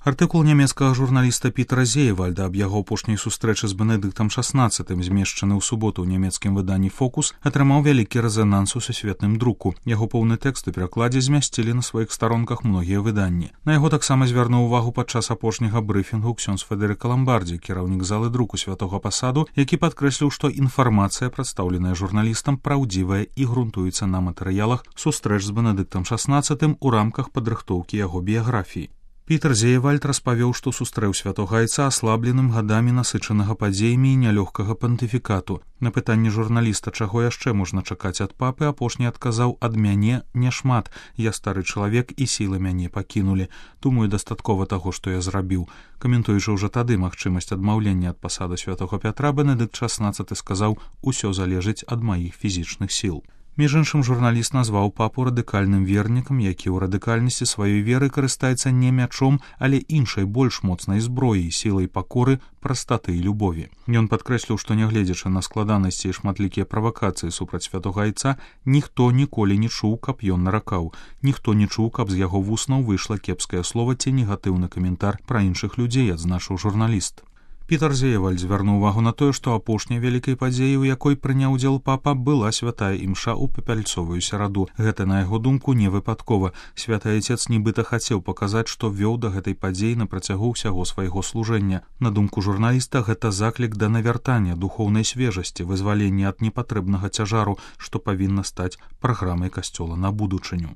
Артыкул нямецкага журналіста Пітера Зеевальда аб яго апошняй сустрэчы з Бенедыктам XVI, змешчаны ў суботу ў нямецкім выданні «Фокус», атрымаў вялікі рэзананс у сусветным друку. Яго поўны тэкст у перакладзе змясцілі на сваіх старонках многія выданні. На яго таксама звярнуў увагу падчас апошняга брыфінгу ксёндз Федэрыка Ламбардзі, кіраўнік залы друку Святога Пасаду, які падкрэсліў, што інфармацыя, прадстаўленая журналістам, праўдзівая і грунтуецца на матэрыялах сустрэч з Бенедыктам XVI у рамках падрыхтоўкі яго біяграфіі. Пітер Зеевальд распавёў, што сустрэў святога айца аслабленым гадамі насычанага падзеямі і нялёгкага пантыфікату. На пытанне журналіста, чаго яшчэ можна чакаць ад папы, апошні адказаў: «Ад мяне няшмат. Я стары чалавек і сілы мяне пакінулі. Думаю, дастаткова таго, што я зрабіў». Каментуючы ўжо тады магчымасць адмаўлення ад пасады святога Пятра, Бенедыкт XVI сказаў: «Усё залежыць ад маіх фізічных сіл». Між іншым, журналіст назваў папу радыкальным вернікам, які ў радыкальнасці сваёй веры карыстаецца не мячом, але іншай больш моцнай зброяй, сілай пакоры, прастаты і любові. Ён падкрэсліў, што нягледзячы на складанасці і шматлікія правакацыі супраць святога айца, ніхто ніколі не чуў, каб ён наракаў. Ніхто не чуў, каб з яго вуснаў выйшла кепскае слова ці негатыўны каментар пра іншых людзей, адзначыў журналіст. Пітер Зеевальд звярнуў увагу на тое, што апошняй вялікай падзеяй, у якой прыняў удзел папа, была святая імша ў папяльцовую сераду. Гэта, на яго думку, не выпадкова. Святы айцец нібыта хацеў паказаць, што вёў да гэтай падзеі на працягу ўсяго свайго служэння. На думку журналіста, гэта заклік да навяртання духоўнай свежасці, вызвалення ад непатрэбнага цяжару, што павінна стаць праграмай касцёла на будучыню.